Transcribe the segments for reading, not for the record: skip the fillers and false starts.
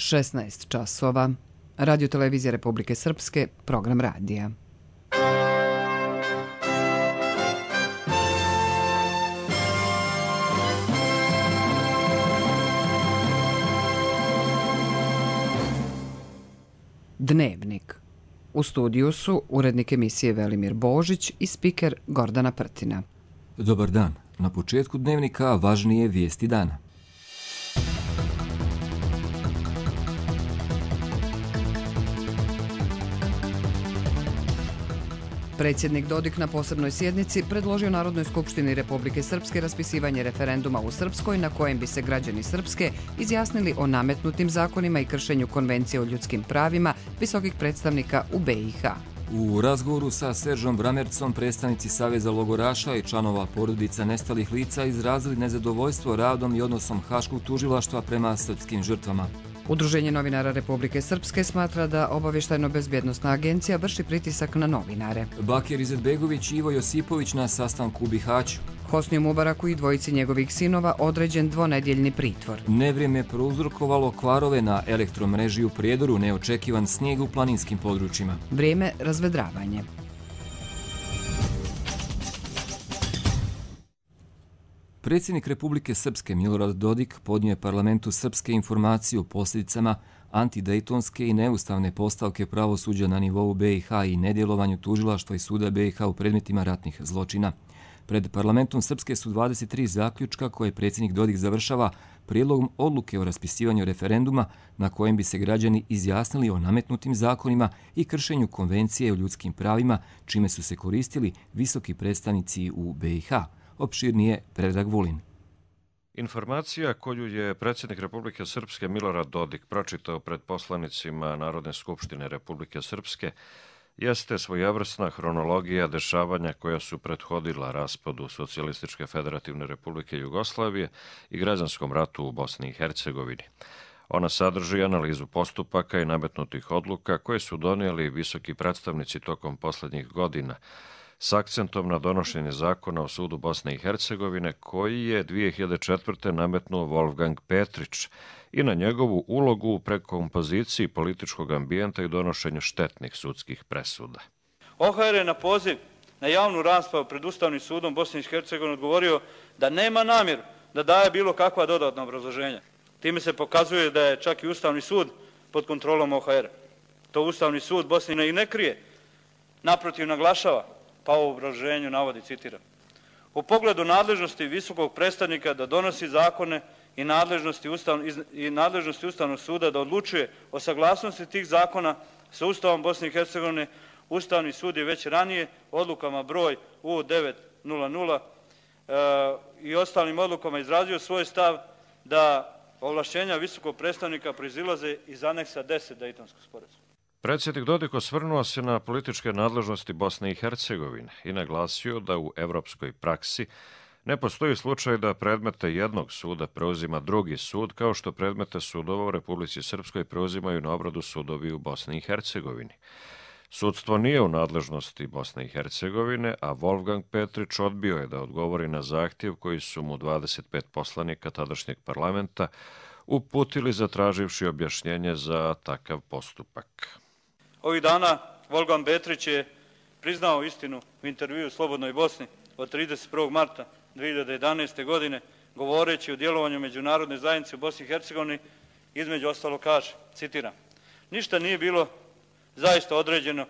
16 časova. Radio Televizija Republike Srpske, program radija. Dnevnik. U studiju su urednik emisije Velimir Božić i spiker Gordana Prtina. Dobar dan. Na početku dnevnika važnije vijesti dana. Predsjednik Dodik na posebnoj sjednici predložio Narodnoj skupštini Republike Srpske raspisivanje referenduma u Srpskoj na kojem bi se građani Srpske izjasnili o nametnutim zakonima i kršenju Konvencije o ljudskim pravima visokih predstavnika u BiH. U razgovoru sa Seržom Bramercom predstavnici Saveza logoraša i članova porodica nestalih lica izrazili nezadovoljstvo radom i odnosom Haškog tužilaštva prema srpskim žrtvama. Udruženje novinara Republike Srpske smatra da obavještajno-bezbjednosna agencija vrši pritisak na novinare. Bakir Izetbegović i Ivo Josipović na sastanku u Bihaću. Hosniju Mubaraku i dvojici njegovih sinova određen dvonedjeljni pritvor. Nevrijeme prouzrokovalo kvarove na elektromreži u Prijedoru, neočekivan snijeg u planinskim područjima. Vrijeme razvedravanje. Predsjednik Republike Srpske Milorad Dodik podnio je parlamentu Srpske informaciju o posljedicama antidejtonske i neustavne postavke pravosuđa na nivou BiH i nedjelovanju tužilaštva i suda BiH u predmetima ratnih zločina. Pred parlamentom Srpske su 23 zaključka koje predsjednik Dodik završava prijedlogom odluke o raspisivanju referenduma na kojem bi se građani izjasnili o nametnutim zakonima i kršenju Konvencije o ljudskim pravima, čime su se koristili visoki predstavnici u BiH. Opširnije Predrag Vulin. Informacija koju je predsjednik Republike Srpske Milorad Dodik pročitao pred poslanicima Narodne skupštine Republike Srpske jeste svojevrsna hronologija dešavanja koja su prethodila raspadu Socijalističke federativne Republike Jugoslavije i građanskom ratu u Bosni i Hercegovini. Ona sadrži analizu postupaka i nametnutih odluka koje su donijeli visoki predstavnici tokom posljednjih godina, s akcentom na donošenje zakona o sudu Bosne i Hercegovine koji je 2004. nametnuo Wolfgang Petrić i na njegovu ulogu u prekompoziciji političkog ambijenta i donošenju štetnih sudskih presuda. OHR je na poziv na javnu raspravu pred Ustavnim sudom Bosne i Hercegovine odgovorio da nema namjeru da daje bilo kakva dodatna obrazloženja. Time se pokazuje da je čak i Ustavni sud pod kontrolom OHR. To Ustavni sud Bosne i ne krije, naprotiv naglašava, pa u obrazloženju navodi, citiram: u pogledu nadležnosti visokog predstavnika da donosi zakone i nadležnosti Ustavnog suda da odlučuje o saglasnosti tih zakona sa Ustavom Bosne i Hercegovine, Ustavni sud je već ranije odlukama broj U900 i ostalim odlukama izrazio svoj stav da ovlašćenja visokog predstavnika proizilaze iz aneksa 10 Dejtonskog sporazuma. Predsjednik Dodik osvrnuo se na političke nadležnosti Bosne i Hercegovine i naglasio da u evropskoj praksi ne postoji slučaj da predmete jednog suda preuzima drugi sud, kao što predmete sudova u Republici Srpskoj preuzimaju na obradu sudovi u Bosni i Hercegovini. Sudstvo nije u nadležnosti Bosne i Hercegovine, a Wolfgang Petrić odbio je da odgovori na zahtjev koji su mu 25 poslanika tadašnjeg parlamenta uputili zatraživši objašnjenje za takav postupak. Ovih dana Wolfgang Petrić je priznao istinu u intervjuu u Slobodnoj Bosni od 31. marta 2011. godine, govoreći o djelovanju međunarodne zajednice u Bosni i Hercegovini, između ostalo kaže, citiram: ništa nije bilo zaista određeno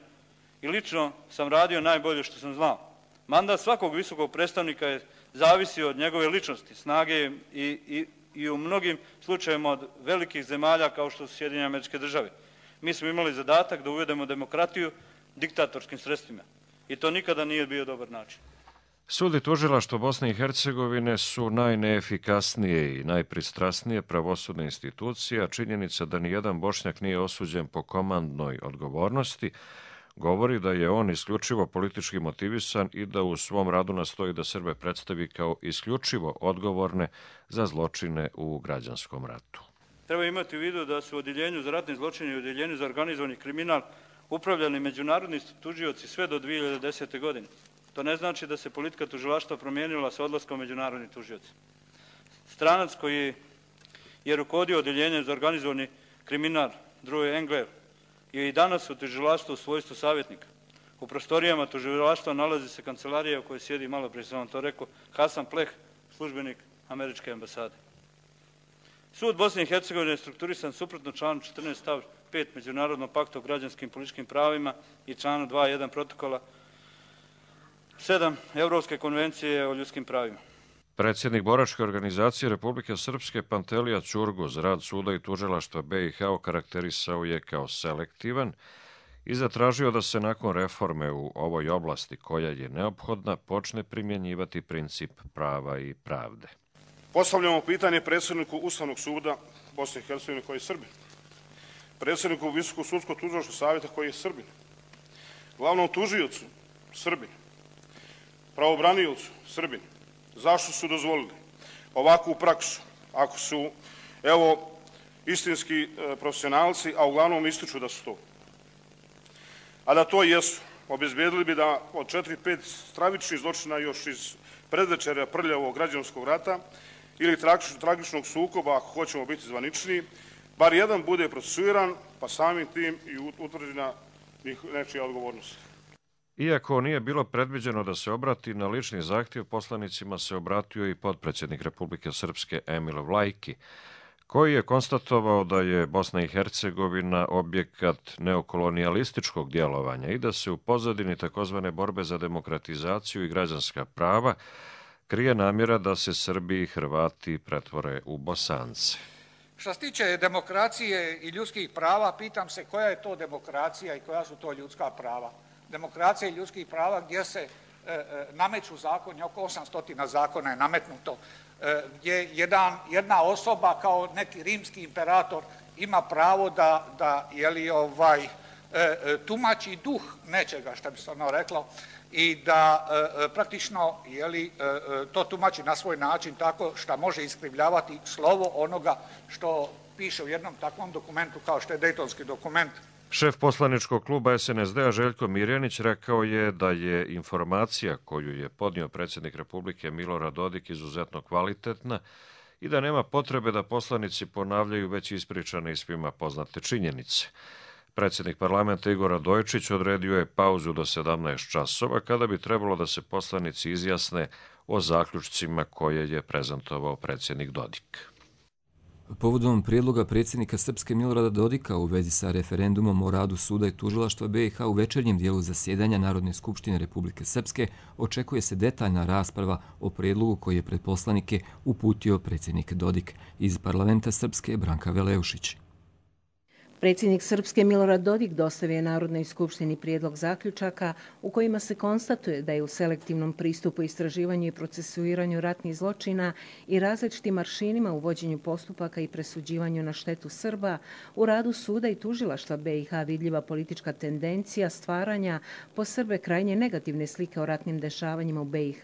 i lično sam radio najbolje što sam znao. Mandat svakog visokog predstavnika je zavisio od njegove ličnosti, snage i u mnogim slučajevima od velikih zemalja kao što su Sjedinjene Američke Države. Mi smo imali zadatak da uvedemo demokratiju diktatorskim sredstvima i to nikada nije bio dobar način. Sud i tužilaštvo Bosne i Hercegovine su najneefikasnije i najpristrasnije pravosudne institucije, a činjenica da nijedan Bošnjak nije osuđen po komandnoj odgovornosti govori da je on isključivo politički motivisan i da u svom radu nastoji da Srbe predstavi kao isključivo odgovorne za zločine u građanskom ratu. Treba imati u vidu da su u Odjeljenju za ratne zločine i Odjeljenju za organizovani kriminal upravljali međunarodni tužioci sve do 2010. godine. To ne znači da se politika tužilaštva promijenila sa odlaskom međunarodnih tužioca. Stranac koji je rukovodio Odjeljenjem za organizovani kriminal Druje Engler je i danas u tužilaštvu u svojstvu savjetnika. U prostorijama tužilaštva nalazi se kancelarija u kojoj sjedi, malo prije sam vam to rekao, Hasan Pleh, službenik američke ambasade. Sud Bosne i Hercegovine je strukturisan suprotno članu 14 stav 5 Međunarodnog pakta o građanskim i političkim pravima i članu 2.1 protokola 7 Evropske konvencije o ljudskim pravima. Predsjednik boračke organizacije Republike Srpske Pantelija Ćurguz rad suda i tužilaštva BiH okarakterisao je kao selektivan i zatražio da se nakon reforme u ovoj oblasti, koja je neophodna, počne primjenjivati princip prava i pravde. Postavljamo pitanje predsjedniku Ustavnog suda Bosne i Hercegovine koji je Srbin, predsjedniku Visokog sudskog tužilačkog savjeta koji je Srbin, glavnom tužiocu Srbin, pravobraniocu Srbin. Zašto su dozvolili ovakvu praksu, ako su, evo, istinski profesionalci, a uglavnom ističu da su to? A da to jesu, obezbijedili bi da od 4-5 stravičnih zločina još iz predvečerja prljavog građanskog rata ili tragičnog sukoba, ako hoćemo biti zvaničniji, bar jedan bude procesuiran, pa samim tim i utvrđena nečija odgovornost. Iako nije bilo predviđeno da se obrati na lični zahtjev, poslanicima se obratio i potpredsjednik Republike Srpske Emil Vlajki, koji je konstatovao da je Bosna i Hercegovina objekat neokolonijalističkog djelovanja i da se u pozadini takozvane borbe za demokratizaciju i građanska prava krije namjera da se Srbi i Hrvati pretvore u Bosance. Što se tiče demokracije i ljudskih prava, pitam se koja je to demokracija i koja su to ljudska prava. Demokracija i ljudskih prava gdje se nameću zakoni, oko 800 zakona je nametnuto, gdje jedna osoba kao neki rimski imperator ima pravo da tumači duh nečega, što bi se ono reklo, i da praktično to tumači na svoj način tako što može iskrivljavati slovo onoga što piše u jednom takvom dokumentu kao što je Dejtonski dokument. Šef poslaničkog kluba SNSD-a Željko Mirjanić rekao je da je informacija koju je podnio predsjednik Republike Milorad Dodik izuzetno kvalitetna i da nema potrebe da poslanici ponavljaju već ispričane i svima poznate činjenice. Predsjednik parlamenta Igor Radojičić odredio je pauzu do 17 časova kada bi trebalo da se poslanici izjasne o zaključcima koje je prezentovao predsjednik Dodik. Povodom prijedloga predsjednika Srpske Milorada Dodika u vezi sa referendumom o radu suda i tužilaštva BiH u večernjem dijelu zasjedanja Narodne skupštine Republike Srpske očekuje se detaljna rasprava o prijedlogu koji je pred poslanike uputio predsjednik Dodik. Iz parlamenta Srpske Branka Veleušić. Predsjednik Srpske Milorad Dodik dostavio je Narodnoj skupštini prijedlog zaključaka u kojima se konstatuje da je u selektivnom pristupu istraživanju i procesuiranju ratnih zločina i različitim aršinima u vođenju postupaka i presuđivanju na štetu Srba u radu suda i tužilaštva BiH vidljiva politička tendencija stvaranja po Srbe krajnje negativne slike o ratnim dešavanjima u BiH,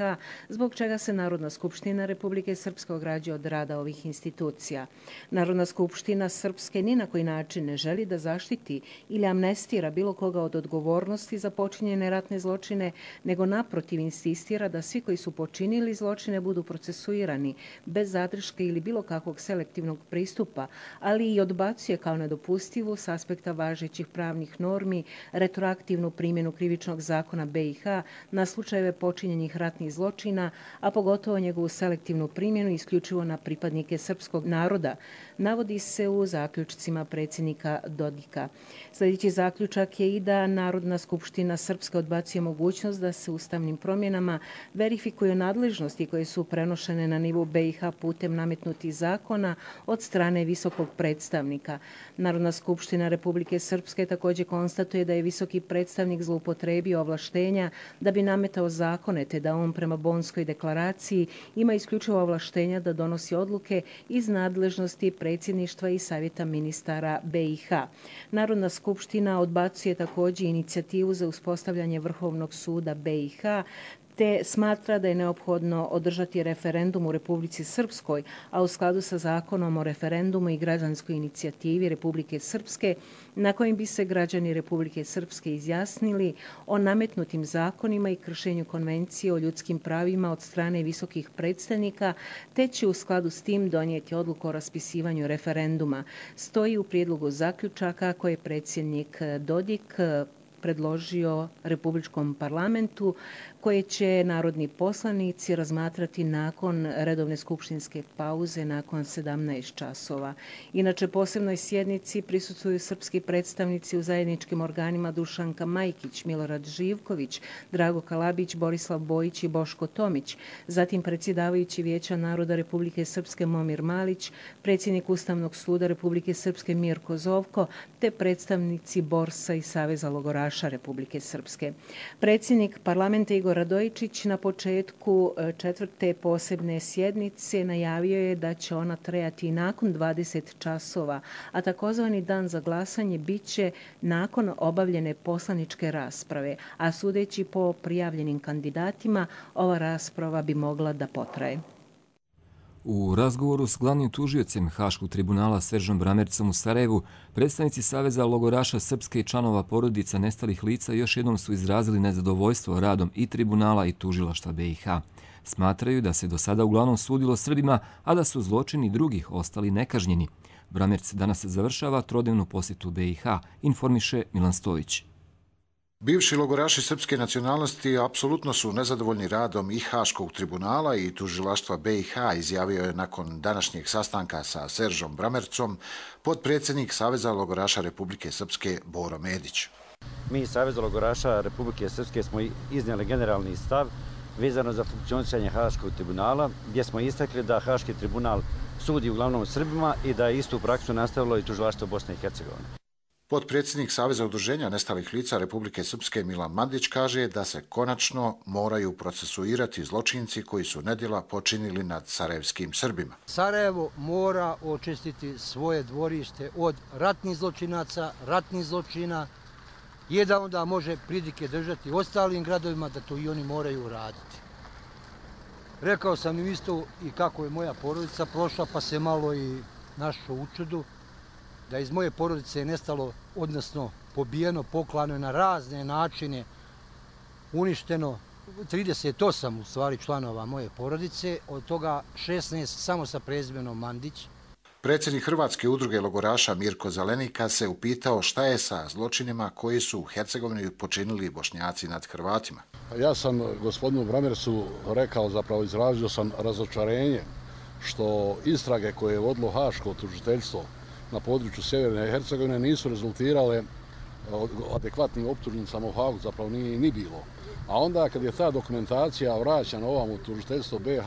zbog čega se Narodna skupština Republike Srpske ograđuje od rada ovih institucija. Narodna skupština Srpske ni na koji način ne želi da zaštiti ili amnestira bilo koga od odgovornosti za počinjene ratne zločine, nego naprotiv insistira da svi koji su počinili zločine budu procesuirani bez zadrške ili bilo kakvog selektivnog pristupa, ali i odbacuje kao nedopustivu s aspekta važećih pravnih normi retroaktivnu primjenu krivičnog zakona BiH na slučajeve počinjenih ratnih zločina, a pogotovo njegovu selektivnu primjenu isključivo na pripadnike srpskog naroda, navodi se u zaključcima predsjednika Dodika. Sljedeći zaključak je i da Narodna skupština Srpske odbacuje mogućnost da se ustavnim promjenama verifikuju nadležnosti koje su prenošene na nivou BiH putem nametnutih zakona od strane visokog predstavnika. Narodna skupština Republike Srpske također konstatuje da je visoki predstavnik zloupotrebio ovlaštenja da bi nametao zakone, te da on prema Bonskoj deklaraciji ima isključivo ovlaštenja da donosi odluke iz nadležnosti predsjedništva i savjeta ministara BiH. Narodna skupština odbacuje također inicijativu za uspostavljanje Vrhovnog suda BiH, te smatra da je neophodno održati referendum u Republici Srpskoj, a u skladu sa zakonom o referendumu i građanskoj inicijativi Republike Srpske, na kojim bi se građani Republike Srpske izjasnili o nametnutim zakonima i kršenju konvencije o ljudskim pravima od strane visokih predstavnika, te će u skladu s tim donijeti odluku o raspisivanju referenduma. Stoji u prijedlogu zaključaka koje je predsjednik Dodik predložio Republičkom parlamentu, koje će narodni poslanici razmatrati nakon redovne skupštinske pauze nakon 17 časova. Inače, posebnoj sjednici prisustvuju srpski predstavnici u zajedničkim organima Dušanka Majkić, Milorad Živković, Drago Kalabić, Borislav Bojić i Boško Tomić, zatim predsjedavajući Vijeća naroda Republike Srpske Momir Malić, predsjednik Ustavnog suda Republike Srpske Mirko Zovko, te predstavnici Borsa i Saveza logoraša Republike Srpske. Predsjednik parlamenta Igor Radojičić na početku 4. posebne sjednice najavio je da će ona trajati nakon 20 časova, a takozvani dan za glasanje bit će nakon obavljene poslaničke rasprave, a sudeći po prijavljenim kandidatima, ova rasprava bi mogla da potraje. U razgovoru s glavnim tužiocem Haškog tribunala Seržom Bramercom u Sarajevu, predstavnici Saveza logoraša Srpske i članova porodica nestalih lica još jednom su izrazili nezadovoljstvo radom i tribunala i tužilaštva BiH. Smatraju da se do sada uglavnom sudilo Srbima, a da su zločini drugih ostali nekažnjeni. Bramerc danas završava trodnevnu posjetu BiH, informiše Milan Stojić. Bivši logoraši srpske nacionalnosti apsolutno su nezadovoljni radom i Haškog tribunala i tužilaštva BiH, izjavio je nakon današnjeg sastanka sa Seržom Bramercom potpredsjednik Saveza logoraša Republike Srpske Boro Medić. Mi iz Saveza logoraša Republike Srpske smo iznijeli generalni stav vezano za funkcionisanje Haškog tribunala, gdje smo istakli da Haški tribunal sudi uglavnom Srbima i da je istu praksu nastavilo i tužilaštvo Bosne i Hercegovine. Potpredsjednik Saveza udruženja nestalih lica Republike Srpske Milan Mandić kaže da se konačno moraju procesuirati zločinci koji su nedjela počinili nad sarajevskim Srbima. Sarajevo mora očistiti svoje dvorište od ratnih zločinaca, ratnih zločina, i da onda može pridike držati ostalim gradovima da to i oni moraju raditi. Rekao sam im isto i kako je moja porodica prošla, pa se malo i našao u čudu, da iz moje porodice je nestalo, odnosno pobijeno, poklano na razne načine, uništeno 38 u stvari članova moje porodice, od toga 16 samo sa prezimenom Mandić. Predsjednik Hrvatske udruge logoraša Mirko Zelenika se upitao šta je sa zločinima koji su u Hercegovini počinili Bošnjaci nad Hrvatima. Ja sam gospodinu Bramercu rekao, zapravo izrazio sam razočarenje što istrage koje je vodilo Haško tužiteljstvo na području Sjeverne Hercegovine nisu rezultirale adekvatnim optužnicama u Hagu, zapravo nije ni bilo. A onda kad je ta dokumentacija vraćana ovam u tužiteljstvo BiH,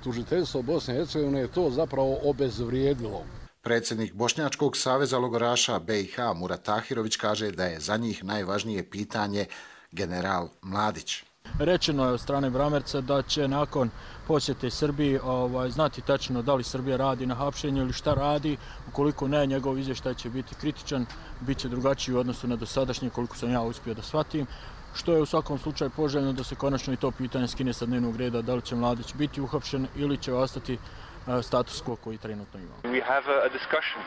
tužiteljstvo Bosne i Hercegovine je to zapravo obezvrijedilo. Predsjednik Bošnjačkog saveza logoraša BiH Murat Tahirović kaže da je za njih najvažnije pitanje general Mladić. Rečeno je od strane Bramerca da će nakon posjete Srbiji znati tačno da li Srbija radi na hapšenju ili šta radi. Ukoliko ne, njegov izvještaj će biti kritičan, bit će drugačiji u odnosu na dosadašnje, koliko sam ja uspio da shvatim. Što je u svakom slučaju poželjno da se konačno i to pitanje skine sa dnevnog reda, da li će Mladić biti uhapšen ili će ostati status quo koji trenutno imamo.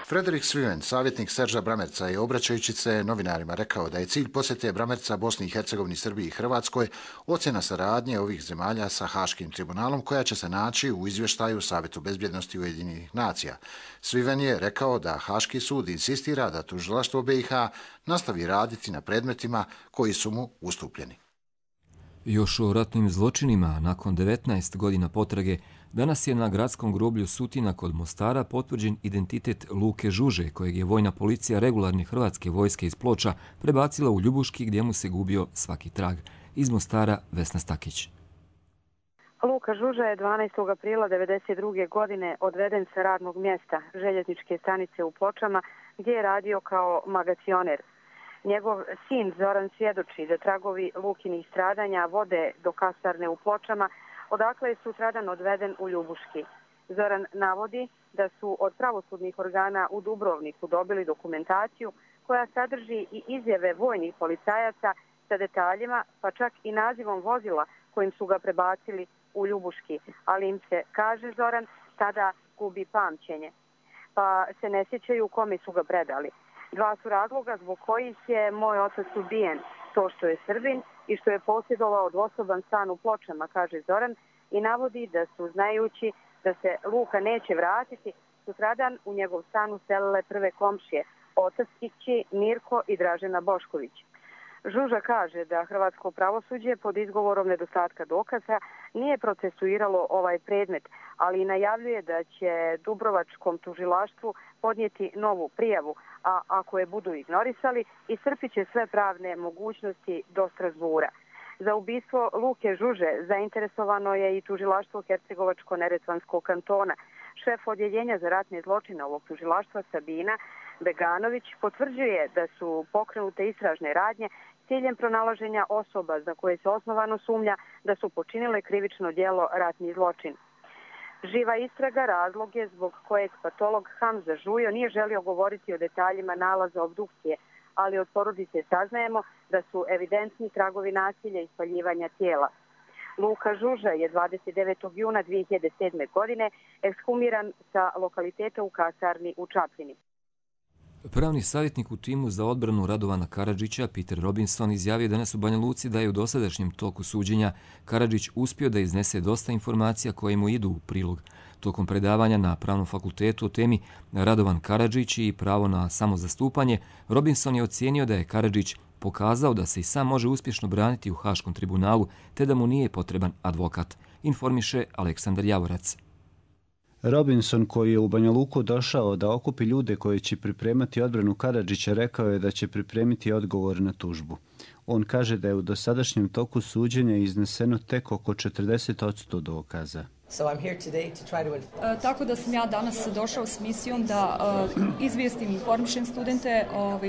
Frederik Sviven, savjetnik Serža Bramerca, je obraćajući se novinarima rekao da je cilj posjete Bramerca Bosni i Hercegovini, Srbiji i Hrvatskoj ocjena saradnje ovih zemalja sa Haškim tribunalom koja će se naći u izvještaju Savjetu bezbjednosti Ujedinjenih nacija. Sviven je rekao da Haški sud insistira da tužilaštvo BiH nastavi raditi na predmetima koji su mu ustupljeni. Još o ratnim zločinima, nakon 19 godina potrage, danas je na gradskom groblju Sutina kod Mostara potvrđen identitet Luke Žuže, kojeg je vojna policija regularne hrvatske vojske iz Ploča prebacila u Ljubuški gdje mu se gubio svaki trag. Iz Mostara Vesna Stakić. Luka Žuža je 12. aprila 1992. godine odveden sa radnog mjesta željezničke stanice u Pločama gdje je radio kao magacioner. Njegov sin Zoran svjedoči da tragovi Lukinih stradanja vode do kasarne u Pločama, odakle je sutradan odveden u Ljubuški. Zoran navodi da su od pravosudnih organa u Dubrovniku dobili dokumentaciju koja sadrži i izjave vojnih policajaca sa detaljima, pa čak i nazivom vozila kojim su ga prebacili u Ljubuški, ali im se, kaže Zoran, tada gubi pamćenje, pa se ne sjećaju kome su ga predali. Dva su razloga zbog kojih je moj otac ubijen, to što je Srbin i što je posjedovao dvosoban stan u Pločama, kaže Zoran, i navodi da su, znajući da se Luka neće vratiti, sutradan u njegov stan uselile prve komšije, otac i kći Mirko i Dražena Bošković. Žuža kaže da hrvatsko pravosuđe pod izgovorom nedostatka dokaza nije procesuiralo ovaj predmet, ali najavljuje da će Dubrovačkom tužilaštvu podnijeti novu prijavu, a ako je budu ignorisali, iscrpit će sve pravne mogućnosti do Strasbura. Za ubistvo Luke Žuže zainteresovano je i tužilaštvo Hercegovačko-Neretvanskog kantona. Šef odjeljenja za ratne zločine ovog tužilaštva Sabina Beganović potvrđuje da su pokrenute istražne radnje s ciljem pronalaženja osoba za koje se osnovano sumnja da su počinile krivično djelo ratni zločin. Živa istraga razlog je zbog kojeg patolog Hamza Žujo nije želio govoriti o detaljima nalaza obdukcije, ali od porodice saznajemo da su evidentni tragovi nasilja i spaljivanja tijela. Luka Žuža je 29. juna 2007. godine ekshumiran sa lokaliteta u kasarni u Čapljini. Pravni savjetnik u timu za odbranu Radovana Karadžića, Peter Robinson, izjavio danas u Banja Luci da je u dosadašnjem toku suđenja Karadžić uspio da iznese dosta informacija koje mu idu u prilog. Tokom predavanja na Pravnom fakultetu o temi Radovan Karadžić i pravo na samozastupanje, Robinson je ocijenio da je Karadžić pokazao da se i sam može uspješno braniti u Haškom tribunalu, te da mu nije potreban advokat, informiše Aleksandar Javorac. Robinson, koji je u Banja Luku došao da okupi ljude koji će pripremati odbranu Karadžića, rekao je da će pripremiti odgovor na tužbu. On kaže da je u dosadašnjem toku suđenja izneseno tek oko 40% dokaza. Tako da sam ja danas došao s misijom da izvijestim i informišem studente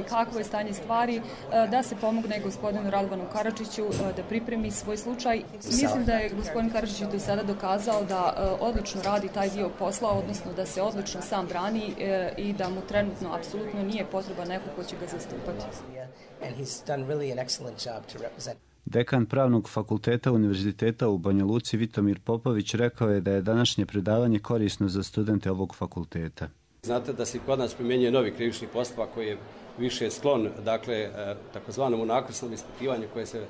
kakvo je stanje stvari, da se pomogne gospodinu Radovanu Karadžiću da pripremi svoj slučaj. Mislim da je gospodin Karadžić do sada dokazao da odlično radi taj dio posla, odnosno da se odlično sam brani i da mu trenutno apsolutno nije potreba neko ko će ga zastupati. Dekan Pravnog fakulteta Univerziteta u Banja Luci Vitomir Popović rekao je da je današnje predavanje korisno za studente ovog fakulteta. Znate da se kod nas primjenjuje novi krivični postupak koji je više sklon, dakle, takozvanom unakrsnom ispitivanju koje se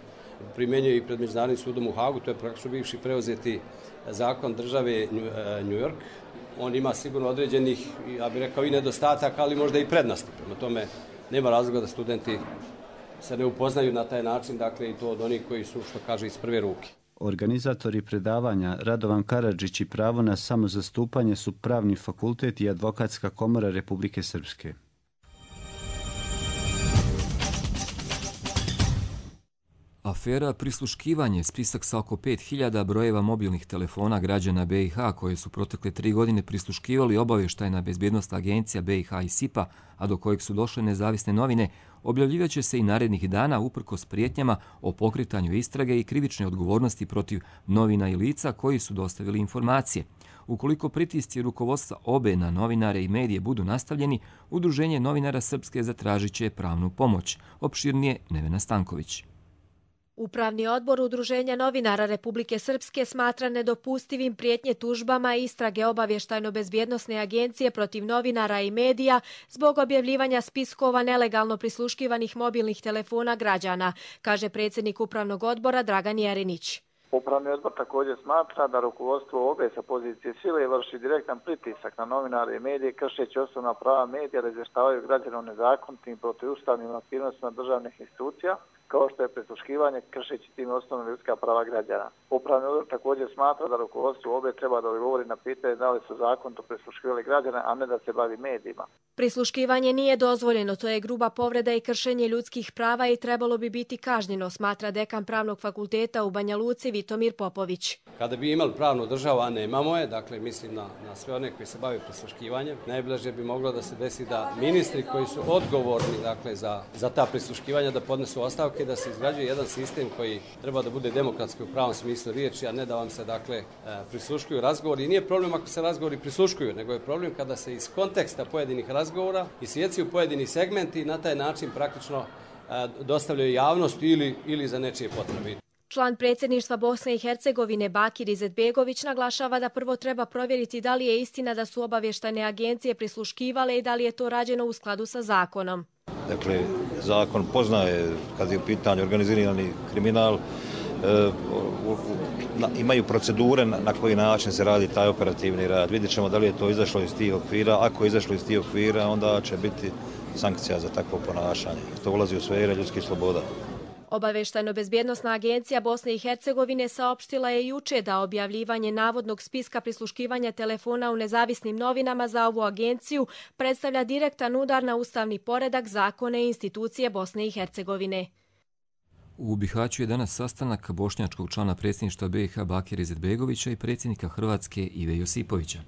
primjenjuje i pred Međunarodnim sudom u Hagu. To je praktično bivši preuzeti zakon države New York. On ima sigurno određenih, ja bih rekao, i nedostataka, ali možda i prednosti. Prema tome, nema razloga da studenti se ne upoznaju na taj način, dakle i to od onih koji su, što kaže, iz prve ruke. Organizatori predavanja Radovan Karadžić i pravo na samozastupanje su Pravni fakultet i Advokatska komora Republike Srpske. Afera prisluškivanje, spisak sa oko 5000 brojeva mobilnih telefona građana BiH koje su protekle 3 godine prisluškivali obavještajna bezbjednosna agencija BiH i SIPA, a do kojeg su došle nezavisne novine, objavljivaće se i narednih dana uprkos prijetnjama o pokretanju istrage i krivične odgovornosti protiv novina i lica koji su dostavili informacije. Ukoliko pritisci rukovodstva OBE na novinare i medije budu nastavljeni, Udruženje novinara Srpske zatražit će pravnu pomoć. Opširnije Nevena Stanković. Upravni odbor Udruženja novinara Republike Srpske smatra nedopustivim prijetnje tužbama i istrage obavještajno-bezbjednosne agencije protiv novinara i medija zbog objavljivanja spiskova nelegalno prisluškivanih mobilnih telefona građana, kaže predsjednik Upravnog odbora Dragan Jerinić. Upravni odbor također smatra da rukovodstvo OBE sa pozicije sile vrši direktan pritisak na novinare i medije, kršeći osnovna prava medija da izvještavaju građane o nezakonitim protivustavnim aktivnostima državnih institucija, kao što je prisluškivanje, kršeći tim osnovna ljudska prava građana. Upravni odbor također smatra da rukovodstvo OBE treba da odgovori na pitanje da li su zakonito prisluškivali građane, a ne da se bavi medijima. Prisluškivanje nije dozvoljeno, to je gruba povreda i kršenje ljudskih prava i trebalo bi biti kažnjeno, smatra dekan Pravnog fakulteta u Banja Luci Vitomir Popović. Kada bi imali pravnu državu, a nemamo je, dakle mislim na sve one koji se bave prisluškivanjem, najbliže bi moglo da se desi da ministri koji su odgovorni dakle, za ta prisluškivanja da podnesu ostavke, da se izgrađuje jedan sistem koji treba da bude demokratski u pravom smislu riječi, a ne da vam se dakle prisluškuju razgovori. I nije problem ako se razgovori prisluškuju, nego je problem kada se iz konteksta pojedinih razgovora isjecaju pojedini segmenti i na taj način praktično dostavljaju javnost ili za nečije potrebe. Član predsjedništva Bosne i Hercegovine Bakir Izetbegović naglašava da prvo treba provjeriti da li je istina da su obavještajne agencije prisluškivale i da li je to rađeno u skladu sa zakonom. Dakle, zakon poznaje kad je u pitanju organizirani kriminal, imaju procedure na koji način se radi taj operativni rad. Vidjet ćemo da li je to izašlo iz tih okvira. Ako je izašlo iz tih okvira, onda će biti sankcija za takvo ponašanje. To ulazi u sfere ljudskih sloboda. Obavještajno-bezbjednosna agencija Bosne i Hercegovine saopštila je juče da objavljivanje navodnog spiska prisluškivanja telefona u nezavisnim novinama za ovu agenciju predstavlja direktan udar na ustavni poredak, zakone i institucije Bosne i Hercegovine. U Bihaću je danas sastanak bošnjačkog člana predsjedništva BiH Bakira Izetbegovića i predsjednika Hrvatske Ive Josipovića.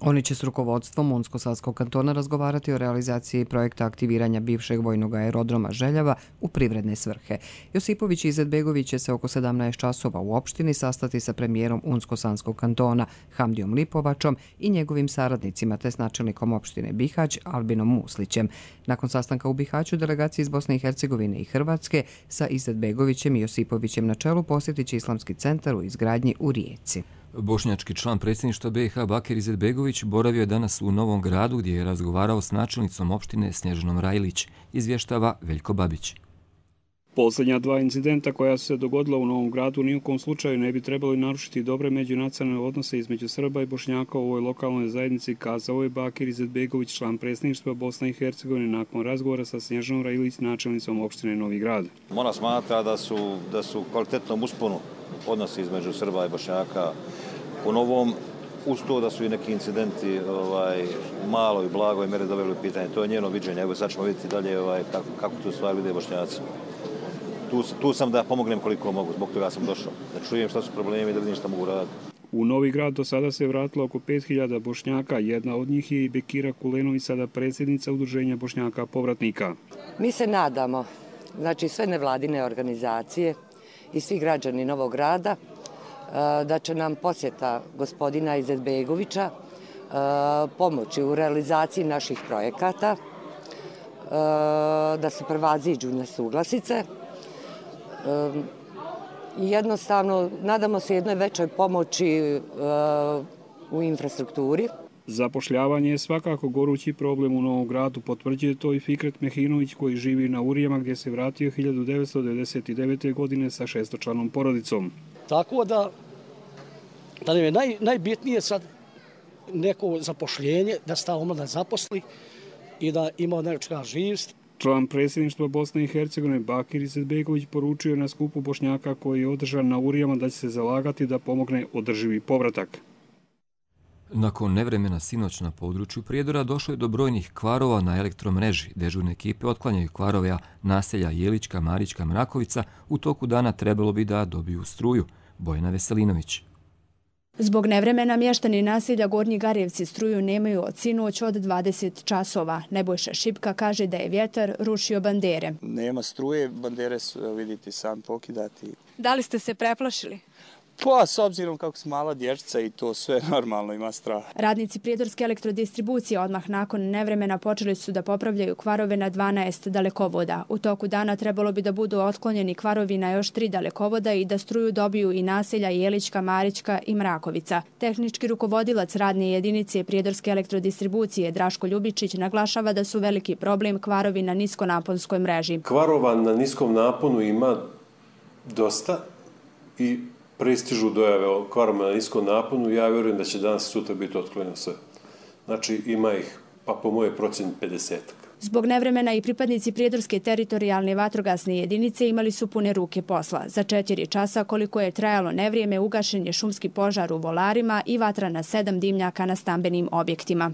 Oni će s rukovodstvom Unsko-Sanskog kantona razgovarati o realizaciji projekta aktiviranja bivšeg vojnog aerodroma Željava u privredne svrhe. Josipović i Izetbegović će se oko 17 časova u opštini sastati sa premijerom Unsko-Sanskog kantona Hamdijom Lipovačom i njegovim saradnicima te s načelnikom opštine Bihać Albinom Muslićem. Nakon sastanka u Bihaću delegacije iz Bosne i Hercegovine i Hrvatske sa Izetbegovićem i Josipovićem na čelu posjetit će Islamski centar u izgradnji u Rijeci. Bošnjački član predsjedništva BiH Bakir Izetbegović boravio je danas u Novom Gradu gdje je razgovarao s načelnicom opštine Snježanom Rajlić, izvještava Veljko Babić. Posljednja dva incidenta koja su se dogodila u Novom Gradu ni u kom slučaju ne bi trebali narušiti dobre međunacionalne odnose između Srba i Bošnjaka u ovoj lokalnoj zajednici, kazao je Bakir Izetbegović, član predsjedništva Bosne i Hercegovine, nakon razgovora sa Snježanom Rajlić, načelnicom opštine Novi Grad. Ona smatra da su kvalitetnom usponu odnosi između Srba i Bošnjaka u Novom, uz to da su i neki incidenti malo i blago i mere doveli u pitanje. To je njeno viđenje. Evo sad ćemo vidjeti dalje kako tu stvari vide Bošnjaci. Tu sam da pomognem koliko mogu, zbog toga sam došao. Da čujem šta su problemi i da vidim šta mogu raditi. U Novi Grad do sada se vratilo oko 5000 Bošnjaka. Jedna od njih je i Bekira Kulenović, sada predsjednica Udruženja Bošnjaka povratnika. Mi se nadamo, znači sve nevladine organizacije i svi građani Novog Grada, da će nam posjeta gospodina Izetbegovića pomoći u realizaciji naših projekata, da se prevaziđu nesuglasice. Jednostavno, nadamo se jednoj većoj pomoći u infrastrukturi. Zapošljavanje je svakako gorući problem u Novom Gradu, potvrđuje to i Fikret Mehinović koji živi na Urijama gdje se vratio 1999. godine sa 6-članom porodicom. Tako da nam je najbitnije sad neko zapošljenje, da se ta omladina zaposli i da ima nečega živst. Član predsjedništva Bosne i Hercegovine Bakir Izetbegović poručio na skupu Bošnjaka koji je održan na Urijama da će se zalagati da pomogne održivi povratak. Nakon nevremena sinoć na području Prijedora došlo je do brojnih kvarova na elektromreži. Dežurne ekipe otklanjaju kvarove naselja Jelička, Marička, Mrakovica. U toku dana trebalo bi da dobiju struju. Bojana Veselinović. Zbog nevremena mještani naselja Gornji Garjevci struju nemaju od sinoć od 20 časova. Nebojša Šipka kaže da je vjetar rušio bandere. Nema struje, bandere su, vidite, sam pokidati. Da li ste se preplašili? Pa, s obzirom kako su mala dječca i to sve normalno ima strah. Radnici Prijedorske elektrodistribucije odmah nakon nevremena počeli su da popravljaju kvarove na 12 dalekovoda. U toku dana trebalo bi da budu otklonjeni kvarovi na još 3 dalekovoda i da struju dobiju i naselja Jelička, Marička i Mrakovica. Tehnički rukovodilac radne jedinice Prijedorske elektrodistribucije Draško Ljubičić naglašava da su veliki problem kvarovi na niskonaponskoj mreži. Kvarova na niskom naponu ima dosta i pristižu dojave o kvarovima na niskom naponu. Ja vjerujem da će danas i sutra biti otklonjeno sve. Znači ima ih, pa po moje procjeni 50. Zbog nevremena i pripadnici Prijedorske teritorijalne vatrogasne jedinice imali su pune ruke posla. Za 4 časa koliko je trajalo nevrijeme ugašen je šumski požar u Volarima i vatra na 7 dimnjaka na stambenim objektima.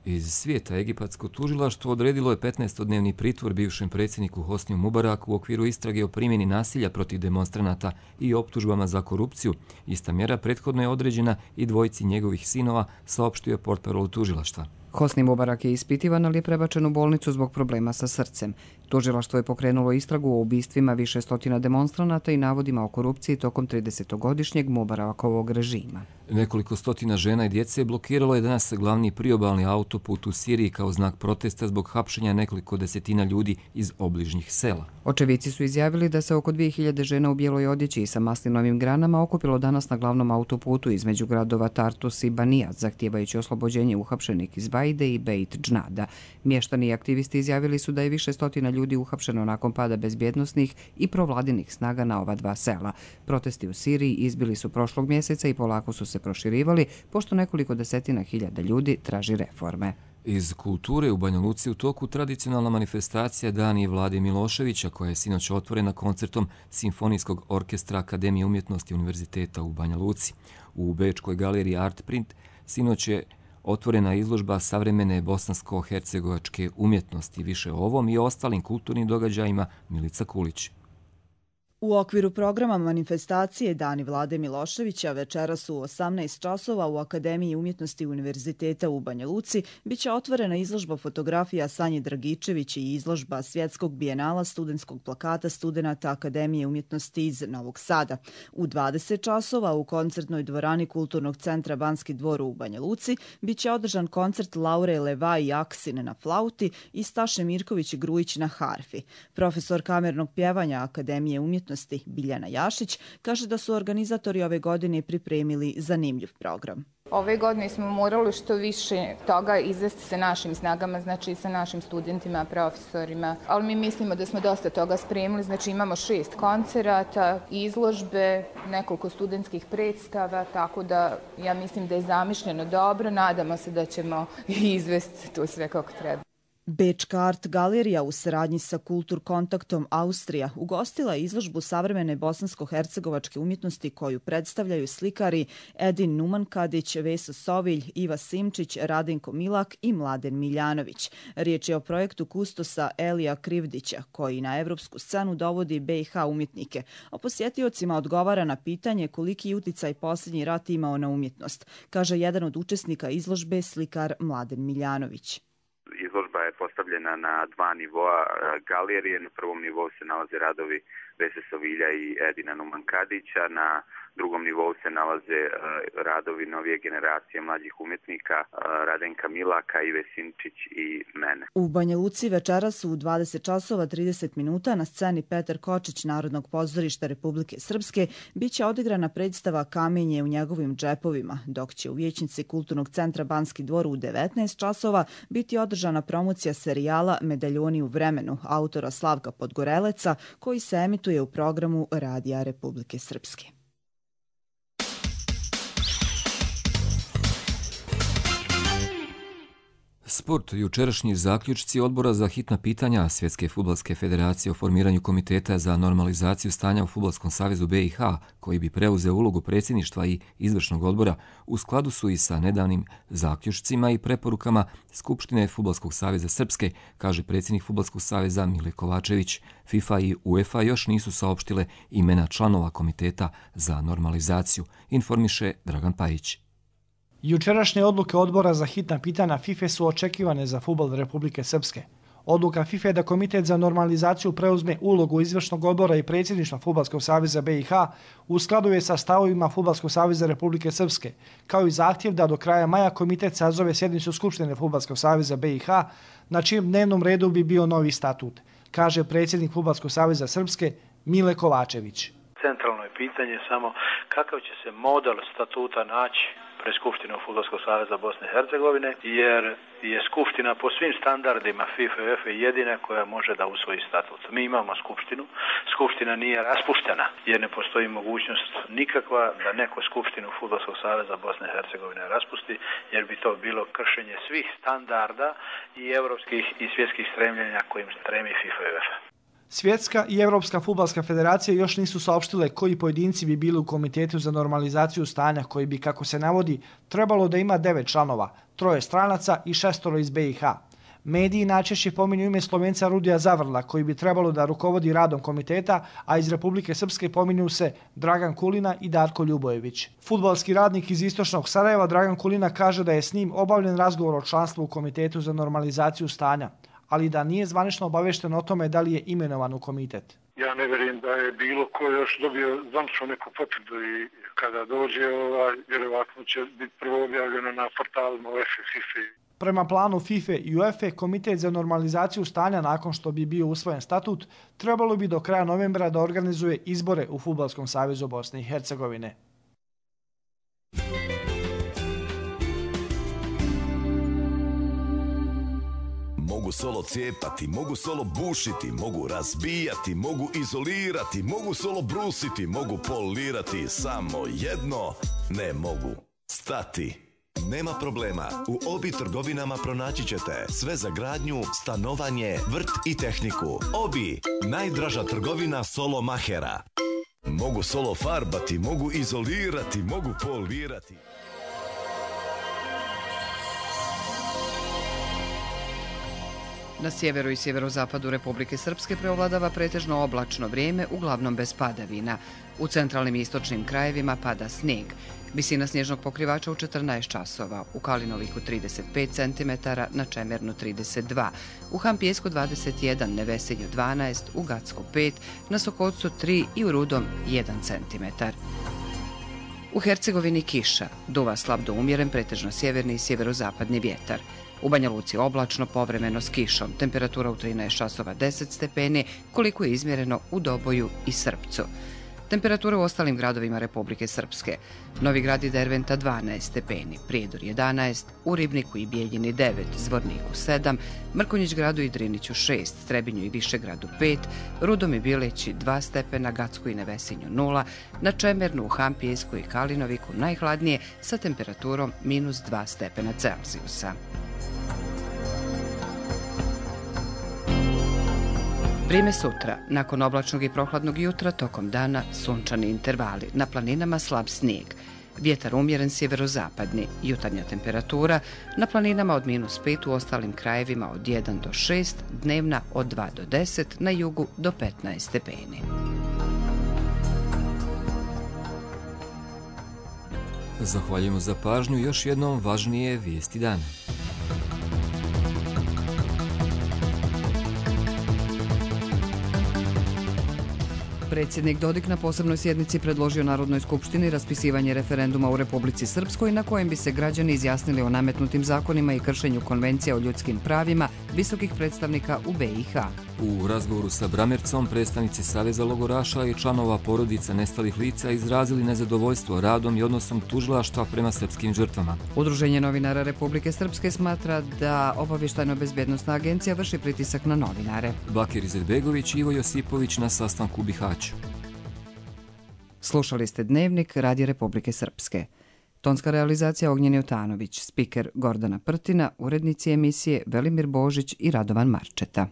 Iz svijeta egipatsko tužilaštvo odredilo je 15-dnevni pritvor bivšem predsjedniku Hosniju Mubaraku u okviru istrage o primjeni nasilja protiv demonstranata i optužbama za korupciju. Ista mjera prethodno je određena i dvojici njegovih sinova, saopštio je portparol tužilaštva. Hosni Mubarak je ispitivan, ali je prebačen u bolnicu zbog problema sa srcem. Tužilaštvo je pokrenulo istragu o ubistvima više stotina demonstranata i navodima o korupciji tokom 30-godišnjeg Mubarakovog režima. Nekoliko stotina žena i djece blokiralo je danas glavni priobalni autoput u Siriji kao znak protesta zbog hapšenja nekoliko desetina ljudi iz obližnjih sela. Očevici su izjavili da se oko 2000 žena u bijeloj odjeći i sa maslinovim granama okupilo danas na glavnom autoputu između gradova Tartus i Banijat, zahtijevajući oslobođenje uhapšenih iz Bajde i Beit Džnada. Mještani i aktivisti izjavili su da je više stotina ljudi uhapšeno nakon pada bezbjednosnih i provladinih snaga na ova dva sela. Protesti u Siriji izbili su prošlog mjeseca i polako su se proširivali, pošto nekoliko desetina hiljada ljudi traži reforme. Iz kulture u Banja Luci u toku tradicionalna manifestacija Dani Vlade Miloševića, koja je sinoć otvorena koncertom Simfonijskog orkestra Akademije umjetnosti Univerziteta u Banja Luci. U Bečkoj galeriji Art Print sinoć je otvorena izložba savremene bosansko-hercegovačke umjetnosti. Više o ovom i ostalim kulturnim događajima Milica Kulić. U okviru programa manifestacije Dani Vlade Miloševića večeras u 18 časova u Akademiji umjetnosti Univerziteta u Banja Luci biće otvorena izložba fotografija Sanje Dragičević i izložba Svjetskog bijenala studentskog plakata studenata Akademije umjetnosti iz Novog Sada. U 20 časova u koncertnoj dvorani Kulturnog centra Banski dvor u Banja Luci biće održan koncert Laure Leva i Aksin na flauti i Staše Mirković-Grujić na harfi. Profesor kamernog pjevanja Akademije umjetnosti Biljana Jašić kaže da su organizatori ove godine pripremili zanimljiv program. Ove godine smo morali što više toga izvesti sa našim snagama, znači sa našim studentima, profesorima, ali mi mislimo da smo dosta toga spremili, znači imamo 6 koncerata, izložbe, nekoliko studentskih predstava, tako da ja mislim da je zamišljeno dobro, nadamo se da ćemo izvesti to sve kako treba. Bečka Art galerija u saradnji sa Kultur kontaktom Austrija ugostila izložbu savremene bosansko-hercegovačke umjetnosti koju predstavljaju slikari Edin Numankadić, Veso Sovilj, Iva Simčić, Radenko Milak i Mladen Miljanović. Riječ je o projektu kustosa Elija Krivdića koji na evropsku scenu dovodi BiH umjetnike, a posjetiocima odgovara na pitanje koliki uticaj posljednji rat imao na umjetnost, kaže jedan od učesnika izložbe, slikar Mladen Miljanović. Izložba je postavljena na 2 nivoa galerije. Na prvom nivou se nalaze radovi Vese Sovilja i Edina Numankadića. Na drugom nivou se nalaze radovi novije generacije mlađih umjetnika Radenka Milaka, Ive Simčić i mene. U Banja Luci večeras u 20 časova 30 minuta na sceni Petar Kočić Narodnog pozorišta Republike Srpske biće odigrana predstava Kamenje u njegovim džepovima, dok će u vijećnici Kulturnog centra Banski dvor u 19 časova biti održana promocija serijala Medaljoni u vremenu autora Slavka Podgoreleca koji se emituje u programu Radija Republike Srpske. Sport. Jučerašnji zaključci Odbora za hitna pitanja Svjetske fudbalske federacije o formiranju komiteta za normalizaciju stanja u Fudbalskom savezu BiH, koji bi preuzeo ulogu predsjedništva i izvršnog odbora, u skladu su i sa nedavnim zaključcima i preporukama Skupštine Fudbalskog saveza Srpske, kaže predsjednik Fudbalskog saveza Mile Kovačević. FIFA i UEFA još nisu saopštile imena članova komiteta za normalizaciju, informiše Dragan Pajić. Jučerašnje odluke Odbora za hitna pitanja FIFA su očekivane za fudbal Republike Srpske. Odluka FIFA je da Komitet za normalizaciju preuzme ulogu izvršnog odbora i predsjedništva Fudbalskog saveza BiH u skladu je sa stavovima Fudbalskog saveza Republike Srpske, kao i zahtjev da do kraja maja komitet sazove sjednicu Skupštine Fudbalskog saveza BiH, na čijem dnevnom redu bi bio novi statut, kaže predsjednik Fudbalskog saveza Srpske Mile Kovačević. Centralno je pitanje samo kakav će se model statuta naći pred Skupštinom Fudbalskog saveza Bosne i Hercegovine, jer je Skupština po svim standardima FIFA i UEFA jedina koja može da usvoji statut. Mi imamo Skupštinu, Skupština nije raspuštena, jer ne postoji mogućnost nikakva da neko Skupštinu Fudbalskog saveza Bosne i Hercegovine raspusti, jer bi to bilo kršenje svih standarda i evropskih i svjetskih stremljenja kojim stremi FIFA i UEFA. Svjetska i Evropska fudbalska federacija još nisu saopštile koji pojedinci bi bili u Komitetu za normalizaciju stanja koji bi, kako se navodi, trebalo da ima 9 članova, 3 stranaca i 6 iz BiH. Mediji najčešće pominju ime Slovenca Rudija Zavrla koji bi trebalo da rukovodi radom komiteta, a iz Republike Srpske pominju se Dragan Kulina i Darko Ljubojević. Fudbalski radnik iz istočnog Sarajeva Dragan Kulina kaže da je s njim obavljen razgovor o članstvu u Komitetu za normalizaciju stanja, ali da nije zvanično obavešten o tome da li je imenovan u komitet. Ja ne vjerujem da je bilo ko još dobio zvanično neku potvrdu i kada dođe, vjerovatno će biti prvo objavljeno na portalima UEFA, FIFA. Prema planu FIFA i UEFA, Komitet za normalizaciju stanja nakon što bi bio usvojen statut, trebalo bi do kraja novembra da organizuje izbore u Fudbalskom savezu Bosne i Hercegovine. Mogu solo cijepati, mogu solo bušiti, mogu razbijati, mogu izolirati, mogu solo brusiti, mogu polirati, samo jedno ne mogu stati. Nema problema, u Obi trgovinama pronaći ćete sve za gradnju, stanovanje, vrt i tehniku. Obi, najdraža trgovina solo mahera. Mogu solo farbati, mogu izolirati, mogu polirati. Na sjeveru i sjeverozapadu Republike Srpske preovladava pretežno oblačno vrijeme, uglavnom bez padavina. U centralnim i istočnim krajevima pada snijeg. Visina snježnog pokrivača u 14 časova, u Kalinoviku 35 cm, na Čemernu 32, u Hampijesku 21, Nevesinju 12, u Gacku 5, na Sokocu 3 i u Rudom 1 cm. U Hercegovini kiša, duva slab do umjeren, pretežno sjeverni i sjeverozapadni vjetar. U Banja Luci oblačno, povremeno s kišom, temperatura u 13 časova 10 stepeni, koliko je izmjereno u Doboju i Srpcu. Temperatura u ostalim gradovima Republike Srpske. Novi Grad i Derventa 12 stepeni, Prijedor 11, u Ribniku i Bijeljini 9, Zvorniku 7, Mrkonjić Gradu i Driniću 6, Trebinju i Višegradu 5, Rudom i Bileći 2 stepena, Gacku i Nevesinju 0, na Čemernu, u Hampijesku i Kalinoviku najhladnije sa temperaturom -2 stepena Celzijusa. Vrijeme sutra. Nakon oblačnog i prohladnog jutra, tokom dana sunčani intervali. Na planinama slab snijeg. Vjetar umjeren sjeverozapadni. Jutarnja temperatura na planinama od -5, u ostalim krajevima od 1 do 6, dnevna od 2 do 10, na jugu do 15 stepeni. Zahvaljujemo za pažnju. Još jednom važnije vijesti dana. Predsjednik Dodik na posebnoj sjednici predložio Narodnoj skupštini raspisivanje referenduma u Republici Srpskoj na kojem bi se građani izjasnili o nametnutim zakonima i kršenju konvencija o ljudskim pravima visokih predstavnika u BiH. U razgovoru sa Bramercom predstavnici Saveza logoraša i članova porodica nestalih lica izrazili nezadovoljstvo radom i odnosom tužilaštva prema srpskim žrtvama. Udruženje novinara Republike Srpske smatra da Obavještajno-bezbjednosna agencija vrši pritisak na novinare. Bakir Izetbegović i Ivo Josipović na sastanku u Bihaću. Slušali ste Dnevnik Radija Republike Srpske. Tonska realizacija Ognjen Jotanović, spiker Gordana Prtina, urednici emisije Velimir Božić i Radovan Marčeta.